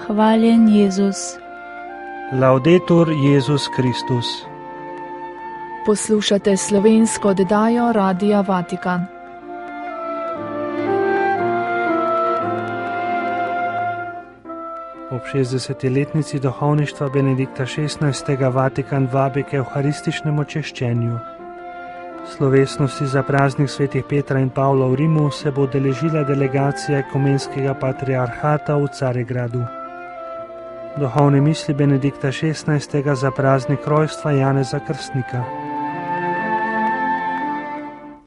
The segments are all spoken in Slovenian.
Hvaljen Jezus. Laudetur Jezus Kristus. Poslušate slovensko oddajo Radia Vatikan. Ob 60-letnici duhovništva Benedikta XVI. Vatikan vabi k evharističnemu češčenju. Slovesnosti za praznik svetih Petra in Pavla v Rimu se bo udeležila delegacija ekumenskega patriarhata v Carigradu. Duhovne misli Benedikta XVI. Za praznik rojstva Janeza Krstnika.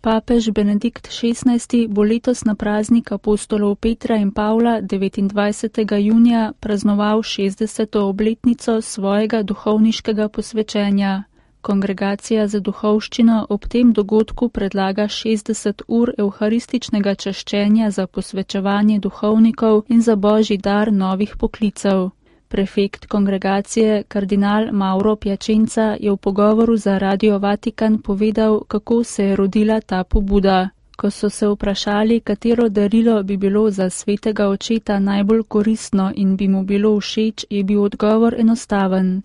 Papež Benedikt XVI. Bo letos na praznik apostolov Petra in Pavla 29. junija praznoval 60. obletnico svojega duhovniškega posvečenja. Kongregacija za duhovščino ob tem dogodku predlaga 60 ur evharističnega čaščenja za posvečevanje duhovnikov in za božji dar novih poklicev. Prefekt kongregacije, kardinal Mauro Piacenza, je v pogovoru za Radio Vatikan povedal, kako se je rodila ta pobuda. Ko so se vprašali, katero darilo bi bilo za svetega očeta najbolj koristno in bi mu bilo všeč, je bil odgovor enostaven.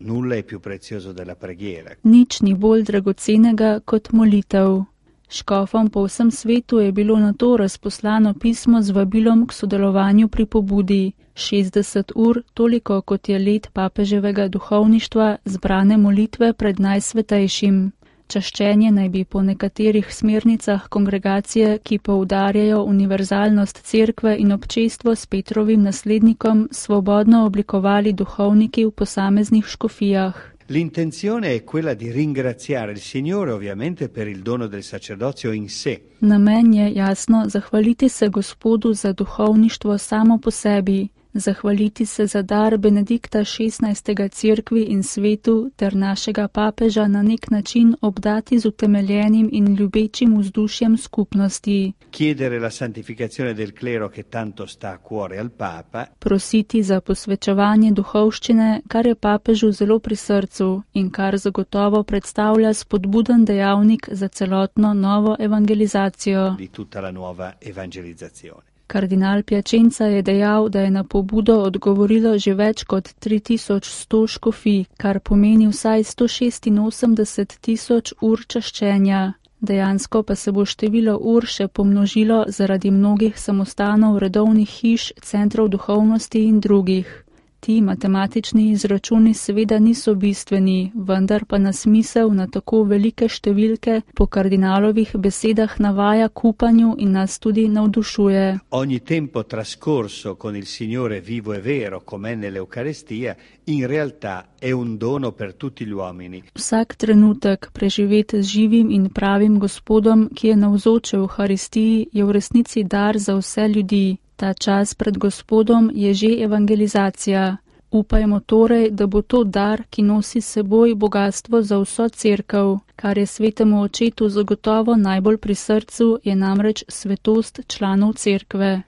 Nič ni bolj dragocenega kot molitev. Škofom po vsem svetu je bilo na to razposlano pismo z vabilom k sodelovanju pri pobudi. 60 ur, toliko kot je let papeževega duhovništva, zbrane molitve pred najsvetejšim. Čaščenje naj bi po nekaterih smernicah kongregacije, ki poudarjajo univerzalnost cerkve in občestvo s Petrovim naslednikom, svobodno oblikovali duhovniki v posameznih škofijah. L'intenzione è quella di ringraziare il Signore ovviamente per il dono del sacerdozio in sé. Namen je jasno zahvaliti se Gospodu za duhovništvo samo po sebi, zahvaliti se za dar Benedikta XVI. Cerkvi in svetu ter našega papeža na nek način obdati z utemeljenim in ljubečim vzdušjem skupnosti. Chiedere la santificazione del clero che tanto sta a cuore al Papa. Prositi za posvečevanje duhovščine, kar je papežu zelo pri srcu in kar zagotovo predstavlja spodbuden dejavnik za celotno novo evangelizacijo. Di tutta la nuova evangelizzazione. Kardinal Piacenza je dejal, da je na pobudo odgovorilo že več kot 3100 škofij, kar pomeni vsaj 186.000 ur čaščenja. Dejansko pa se bo število ur še pomnožilo zaradi mnogih samostanov, redovnih hiš, centrov duhovnosti in drugih. Ti matematični izračuni seveda niso bistveni, vendar pa nas misel na tako velike številke po kardinalovih besedah navaja k upanju in nas tudi navdušuje. Ogni tempo trascorso con il Signore vivo e vero, com'è nell'Eucaristia, in realtà è un dono per tutti gli uomini. Vsak trenutek preživeti z živim in pravim Gospodom, ki je navzoč v Euharistiji, je v resnici dar za vse ljudi. Ta čas pred Gospodom je že evangelizacija. Upajmo torej, da bo to dar, ki nosi s seboj bogatstvo za vso cerkev. Kar je svetemu očetu zagotovo najbolj pri srcu, je namreč svetost članov cerkve.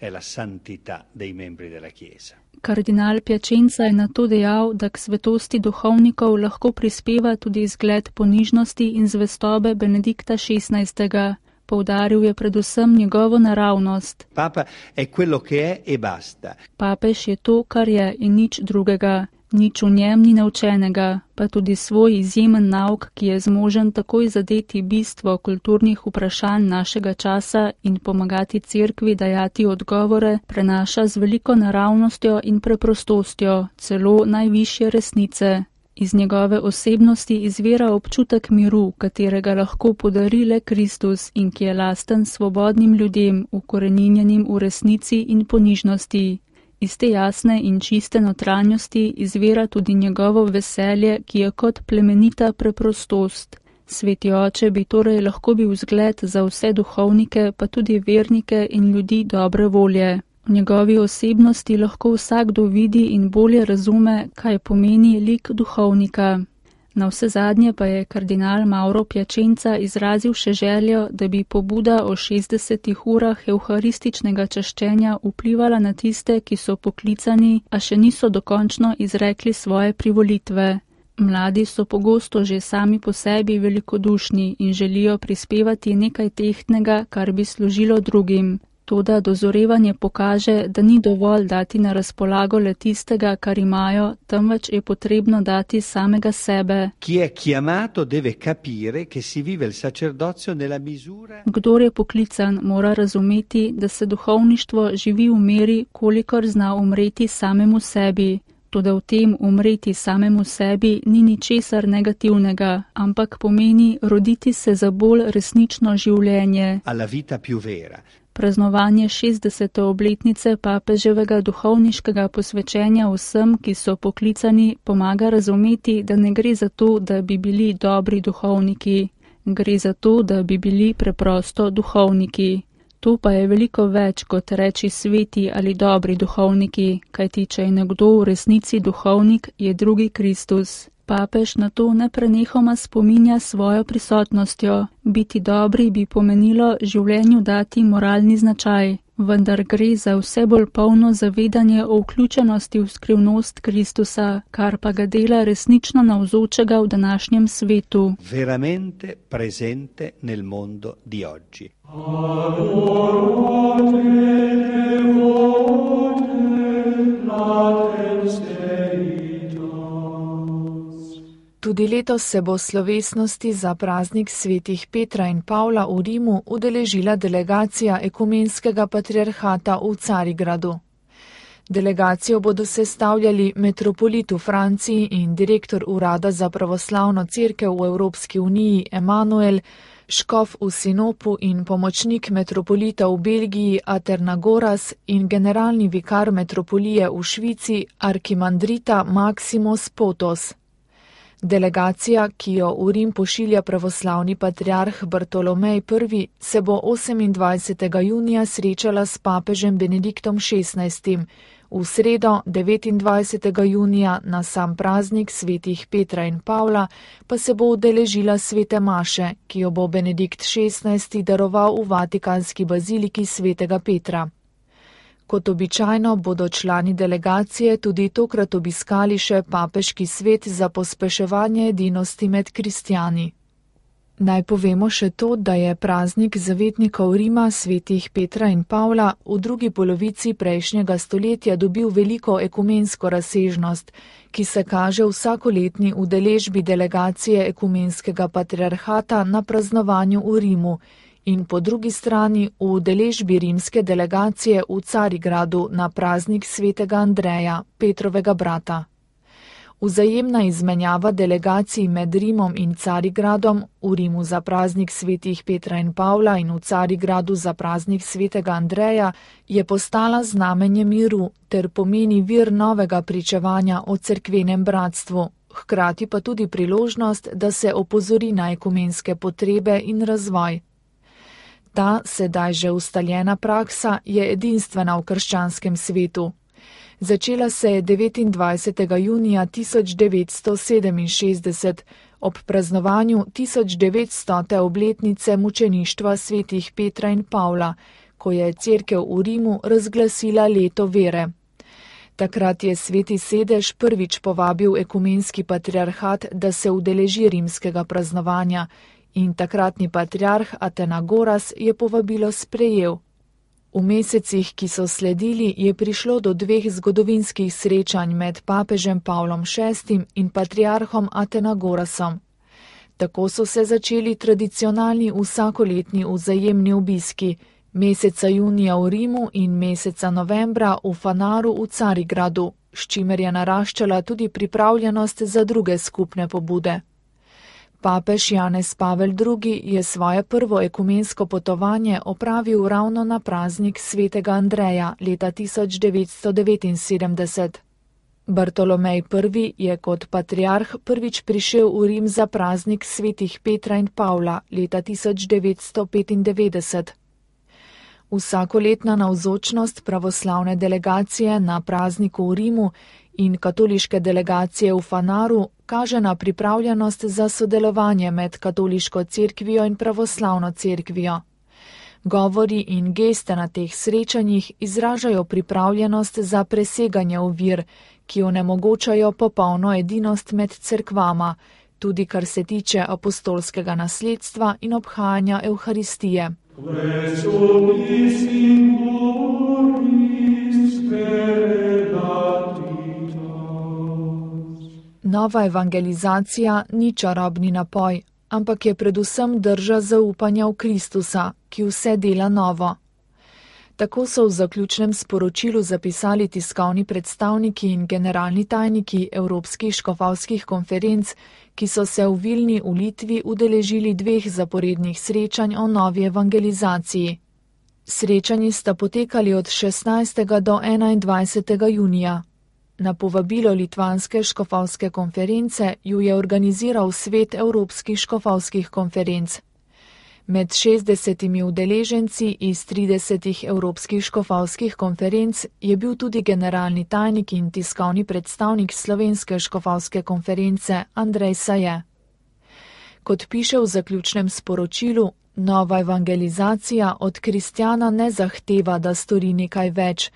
Kardinal Piacenza je na to dejal, da k svetosti duhovnikov lahko prispeva tudi izgled ponižnosti in zvestobe Benedikta XVI. Poudaril je predvsem njegovo naravnost. Papa è quello che è e basta. Papež je to, kar je in nič drugega. Nič v njem ni naučenega, pa tudi svoj izjemen nauk, ki je zmožen takoj zadeti bistvo kulturnih vprašanj našega časa in pomagati cerkvi dajati odgovore, prenaša z veliko naravnostjo in preprostostjo, celo najvišje resnice. Iz njegove osebnosti izvira občutek miru, katerega lahko podari le Kristus in ki je lasten svobodnim ljudem, ukoreninjenim v resnici in ponižnosti. Iz te jasne in čiste notranjosti izvira tudi njegovo veselje, ki je kot plemenita preprostost. Sveti oče bi torej lahko bil vzgled za vse duhovnike, pa tudi vernike in ljudi dobre volje. V njegovi osebnosti lahko vsakdo vidi in bolje razume, kaj pomeni lik duhovnika. Navsezadnje pa je kardinal Mauro Piacenza izrazil še željo, da bi pobuda o 60 urah evharističnega čaščenja vplivala na tiste, ki so poklicani, a še niso dokončno izrekli svoje privolitve. Mladi so pogosto že sami po sebi velikodušni in želijo prispevati nekaj tehtnega, kar bi služilo drugim. Toda dozorevanje pokaže, da ni dovolj dati na razpolago le tistega, kar imajo, temveč je potrebno dati samega sebe. Chi è chiamato deve capire che si vive il sacerdozio nella misura. Kdor je poklican, mora razumeti, da se duhovništvo živi v meri, kolikor zna umreti samemu sebi. Toda v tem umreti samemu sebi ni ničesar negativnega, ampak pomeni roditi se za bolj resnično življenje. Alla vita più vera. Praznovanje 60. obletnice papeževega duhovniškega posvečenja vsem, ki so poklicani, pomaga razumeti, da ne gre za to, da bi bili dobri duhovniki. Gre za to, da bi bili preprosto duhovniki. To pa je veliko več kot reči sveti ali dobri duhovniki, kajti če je nekdo v resnici duhovnik, je drugi Kristus. Papež na to neprenehoma spominja svojo prisotnostjo. Biti dobri bi pomenilo življenju dati moralni značaj, vendar gre za vse bolj polno zavedanje o vključenosti v skrivnost Kristusa, kar pa ga dela resnično navzočega v današnjem svetu. Veramente presente nel mondo di oggi. Tudi letos se bo slovesnosti za praznik svetih Petra in Pavla v Rimu udeležila delegacija ekumenskega patriarhata v Carigradu. Delegacijo bodo sestavljali metropolit v Franciji in direktor Urada za pravoslavno cerkev v Evropski uniji Emanuel, škof v Sinopu in pomočnik metropolita v Belgiji Aternagoras in generalni vikar metropolije v Švici Arkimandrita Maksimos Potos. Delegacija, ki jo v Rim pošilja pravoslavni patriarh Bartolomej I, se bo 28. junija srečala s papežem Benediktom XVI. V sredo 29. junija na sam praznik svetih Petra in Pavla pa se bo udeležila svete maše, ki jo bo Benedikt XVI. Daroval v Vatikanski baziliki svetega Petra. Kot običajno bodo člani delegacije tudi tokrat obiskali še papeški svet za pospeševanje edinosti med kristjani. Naj povemo še to, da je praznik zavetnikov Rima svetih Petra in Pavla v drugi polovici prejšnjega stoletja dobil veliko ekumensko razsežnost, ki se kaže v vsakoletni udeležbi delegacije ekumenskega patriarhata na praznovanju v Rimu in po drugi strani v udeležbi rimske delegacije v Carigradu na praznik svetega Andreja, Petrovega brata. Vzajemna izmenjava delegacij med Rimom in Carigradom, v Rimu za praznik svetih Petra in Pavla in v Carigradu za praznik svetega Andreja, je postala znamenje miru ter pomeni vir novega pričevanja o cerkvenem bratstvu, hkrati pa tudi priložnost, da se opozori na ekumenske potrebe in razvoj. Ta, sedaj že ustaljena praksa, je edinstvena v krščanskem svetu. Začela se je 29. junija 1967 ob praznovanju 1900. obletnice mučeništva svetih Petra in Pavla, ko je cerkev v Rimu razglasila leto vere. Takrat je sveti sedež prvič povabil ekumenski patriarhat, da se udeleži rimskega praznovanja, in takratni patriarh Atenagoras je povabilo sprejel. V mesecih, ki so sledili, je prišlo do 2 zgodovinskih srečanj med papežem Pavlom VI in patriarhom Atenagorasom. Tako so se začeli tradicionalni vsakoletni vzajemni obiski, meseca junija v Rimu in meseca novembra v Fanaru v Carigradu, s čimer je naraščala tudi pripravljenost za druge skupne pobude. Papež Janez Pavel II. Je svoje prvo ekumensko potovanje opravil ravno na praznik svetega Andreja leta 1979. Bartolomej I. je kot patriarh prvič prišel v Rim za praznik svetih Petra in Pavla leta 1995. Vsakoletna navzočnost pravoslavne delegacije na prazniku v Rimu in katoliške delegacije v Fanaru kaže na pripravljenost za sodelovanje med katoliško cerkvijo in pravoslavno cerkvijo. Govori in geste na teh srečanjih izražajo pripravljenost za preseganje ovir, ki onemogočajo popolno edinost med cerkvama, tudi kar se tiče apostolskega nasledstva in obhajanja Evharistije. Nova evangelizacija ni čarobni napoj, ampak je predvsem drža zaupanja v Kristusa, ki vse dela novo. Tako so v zaključnem sporočilu zapisali tiskovni predstavniki in generalni tajniki Evropskih škofovskih konferenc, ki so se v Vilni v Litvi udeležili 2 zaporednih srečanj o novi evangelizaciji. Srečanji sta potekali od 16. do 21. junija. Na povabilo Litvanske škofovske konference ju je organiziral Svet Evropskih škofovskih konferenc. Med 60 udeleženci iz 30 Evropskih škofovskih konferenc je bil tudi generalni tajnik in tiskovni predstavnik Slovenske škofovske konference Andrej Saje. Kot piše v zaključnem sporočilu, nova evangelizacija od kristjana ne zahteva, da stori nekaj več,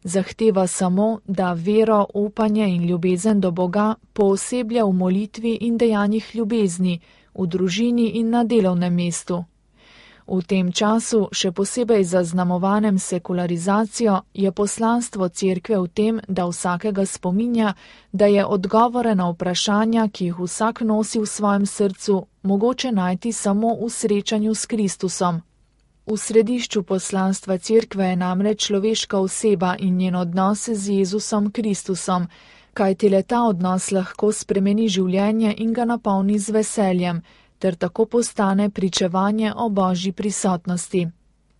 zahteva samo, da vero, upanje in ljubezen do Boga pooseblja v molitvi in dejanjih ljubezni, v družini in na delovnem mestu. V tem času, še posebej zaznamovanem sekularizacijo, je poslanstvo cerkve v tem, da vsakega spominja, da je odgovore na vprašanja, ki jih vsak nosi v svojem srcu, mogoče najti samo v srečanju s Kristusom. V središču poslanstva cerkve je namreč človeška oseba in njen odnos z Jezusom Kristusom, kajti le ta odnos lahko spremeni življenje in ga napolni z veseljem, ter tako postane pričevanje o Božji prisotnosti.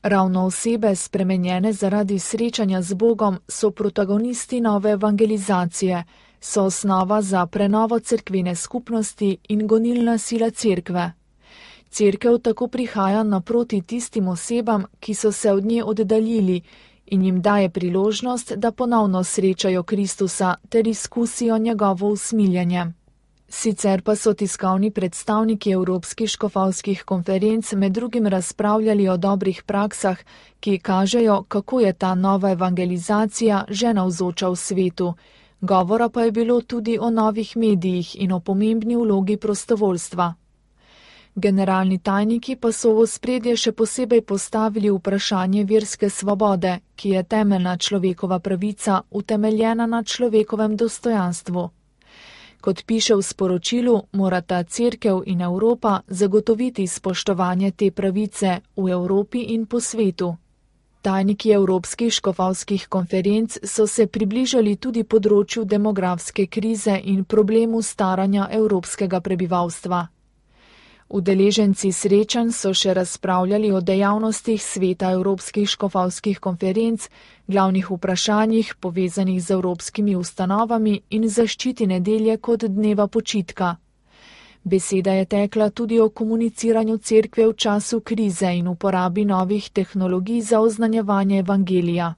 Ravno osebe, spremenjene zaradi srečanja z Bogom, so protagonisti nove evangelizacije, so osnova za prenovo cerkvene skupnosti in gonilna sila cerkve. Cerkev tako prihaja naproti tistim osebam, ki so se od nje oddaljili, in jim daje priložnost, da ponovno srečajo Kristusa ter izkusijo njegovo usmiljenje. Sicer pa so tiskovni predstavniki Evropskih škofovskih konferenc med drugim razpravljali o dobrih praksah, ki kažejo, kako je ta nova evangelizacija že navzoča v svetu. Govora pa je bilo tudi o novih medijih in o pomembni vlogi prostovoljstva. Generalni tajniki pa so v ospredje še posebej postavili vprašanje verske svobode, ki je temeljna človekova pravica, utemeljena na človekovem dostojanstvu. Kot piše v sporočilu, morata cerkev in Evropa zagotoviti spoštovanje te pravice v Evropi in po svetu. Tajniki Evropskih škofovskih konferenc so se približali tudi področju demografske krize in problemu staranja evropskega prebivalstva. Udeleženci srečanj so še razpravljali o dejavnostih Sveta Evropskih škofovskih konferenc, glavnih vprašanjih povezanih z evropskimi ustanovami in zaščiti nedelje kot dneva počitka. Beseda je tekla tudi o komuniciranju cerkve v času krize in uporabi novih tehnologij za oznanjevanje evangelija.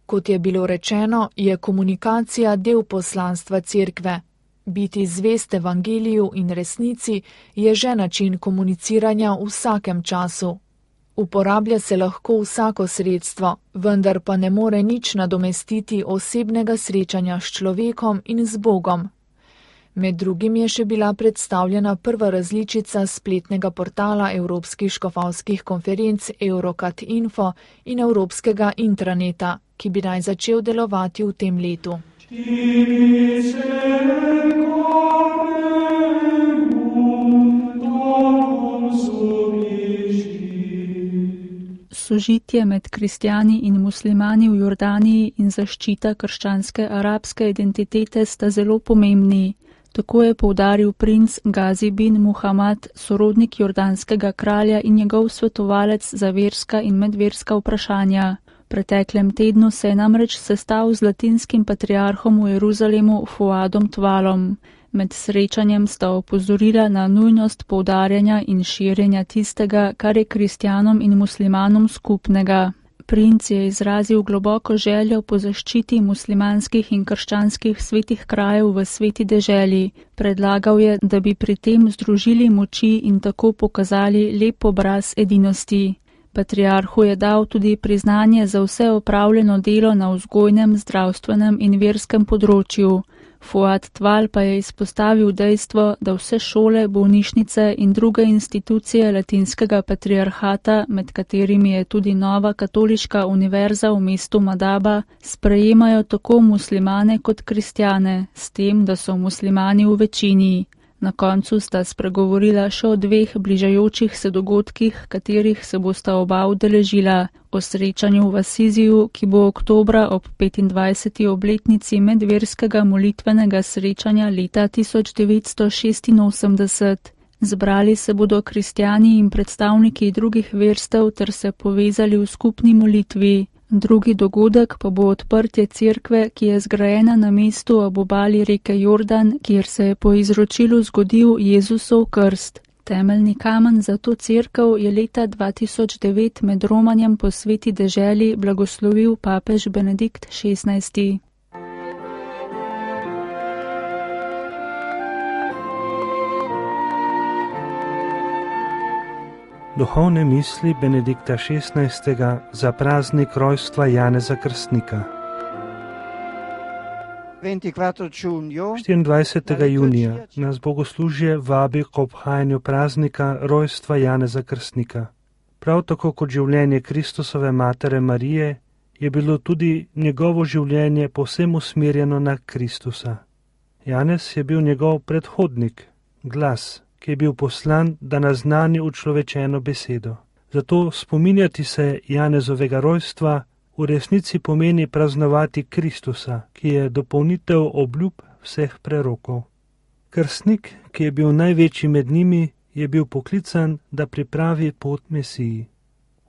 Kot je bilo rečeno, je komunikacija del poslanstva cerkve. Biti zvest evangeliju in resnici je že način komuniciranja v vsakem času. Uporablja se lahko vsako sredstvo, vendar pa ne more nič nadomestiti osebnega srečanja s človekom in z Bogom. Med drugim je še bila predstavljena prva različica spletnega portala Evropskih škofovskih konferenc Eurocat Info in Evropskega intraneta, ki bi naj začel delovati v tem letu. Sožitje med kristjani in muslimani v Jordaniji in zaščita krščanske arabske identitete sta zelo pomembni. Tako je poudaril princ Gazi bin Muhammad, sorodnik jordanskega kralja in njegov svetovalec za verska in medverska vprašanja. V preteklem tednu se je namreč sestal z latinskim patriarhom v Jeruzalemu Fuadom Tvalom. Med srečanjem sta opozorila na nujnost poudarjanja in širjenja tistega, kar je kristjanom in muslimanom skupnega. Princ je izrazil globoko željo po zaščiti muslimanskih in krščanskih svetih krajev v sveti deželi. Predlagal je, da bi pri tem združili moči in tako pokazali lep obraz edinosti. Patriarhu je dal tudi priznanje za vse opravljeno delo na vzgojnem, zdravstvenem in verskem področju. Fuad Tval pa je izpostavil dejstvo, da vse šole, bolnišnice in druge institucije latinskega patriarhata, med katerimi je tudi nova katoliška univerza v mestu Madaba, sprejemajo tako muslimane kot kristjane, s tem, da so muslimani v večini. Na koncu sta spregovorila še o 2 bližajočih se dogodkih, katerih se bosta oba udeležila. O srečanju v Asiziju, ki bo oktobra ob 25. obletnici medverskega molitvenega srečanja leta 1986. Zbrali se bodo kristjani in predstavniki drugih verstev ter se povezali v skupni molitvi. Drugi dogodek pa bo odprtje cerkve, ki je zgrajena na mestu ob obali reke Jordan, kjer se je po izročilu zgodil Jezusov krst. Temeljni kamen za to cerkev je leta 2009 med romanjem po sveti deželi blagoslovil papež Benedikt XVI. Duhovne misli Benedikta XVI. Za praznik rojstva Janeza Krstnika. 24. junija nas bogoslužje vabi k obhajanju praznika rojstva Janeza Krstnika. Prav tako kot življenje Kristusove matere Marije je bilo tudi njegovo življenje povsem usmerjeno na Kristusa. Janez je bil njegov predhodnik, glas, ki je bil poslan, da naznani učlovečeno besedo. Zato spominjati se Janezovega rojstva v resnici pomeni praznovati Kristusa, ki je dopolnitev obljub vseh prerokov. Krstnik, ki je bil največji med njimi, je bil poklican, da pripravi pot Mesiji.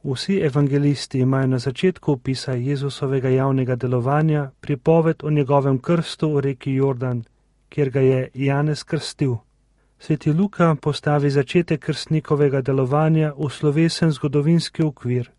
Vsi evangelisti imajo na začetku opisa Jezusovega javnega delovanja pripoved o njegovem krstu v reki Jordan, kjer ga je Janez krstil. Sveti Luka postavi začetek krstnikovega delovanja v slovesen zgodovinski okvir.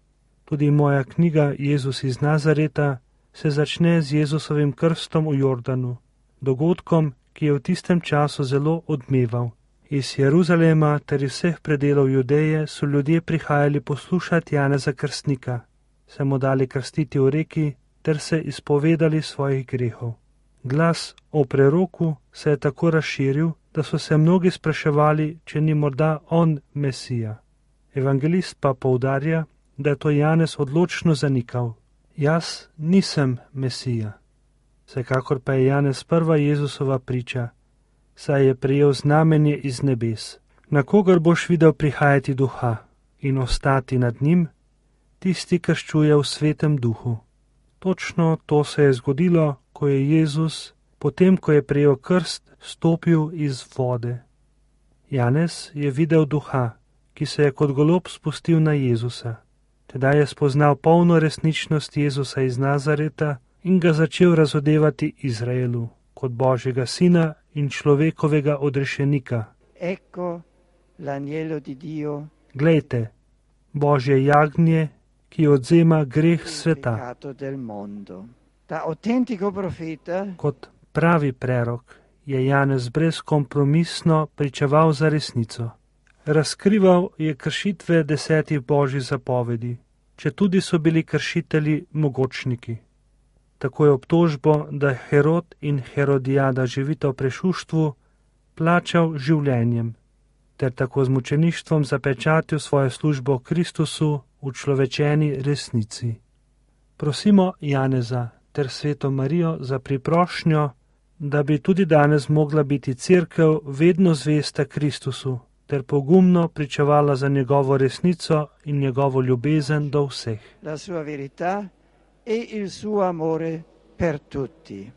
Tudi moja knjiga Jezus iz Nazareta se začne z Jezusovim krstom v Jordanu, dogodkom, ki je v tistem času zelo odmeval. Iz Jeruzalema ter iz vseh predelov Judeje so ljudje prihajali poslušati Janeza Krstnika, se mu dali krstiti v reki ter se izpovedali svojih grehov. Glas o preroku se je tako razširil, da so se mnogi spraševali, če ni morda on Mesija. Evangelist pa poudarja, da je to Janez odločno zanikal. Jaz nisem Mesija. Vsekakor pa je Janez prva Jezusova priča, saj je prejel znamenje iz nebes. Na kogar boš videl prihajati duha in ostati nad njim, tisti krščuje v svetem duhu. Točno to se je zgodilo, ko je Jezus, potem ko je prejel krst, stopil iz vode. Janez je videl duha, ki se je kot golob spustil na Jezusa. Tedaj je spoznal polno resničnost Jezusa iz Nazareta in ga začel razodevati Izraelu kot Božjega sina in človekovega odrešenika. Glejte, Božje jagnje, ki odzema greh sveta. Kot pravi prerok je Janez brezkompromisno pričeval za resnico. Razkrival je kršitve 10 božjih zapovedi, četudi so bili kršitelji mogočniki. Tako je obtožbo, da Herod in Herodijada živita v prešuštvu, plačal življenjem, ter tako z mučeništvom zapečatil svojo službo Kristusu v človečeni resnici. Prosimo Janeza ter sveto Marijo za priprošnjo, da bi tudi danes mogla biti cerkev vedno zvesta Kristusu, ter pogumno pričevala za njegovo resnico in njegovo ljubezen do vseh. La sua verità e il suo amore per tutti.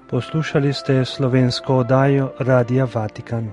Poslušali ste slovensko oddajo Radia Vatikan.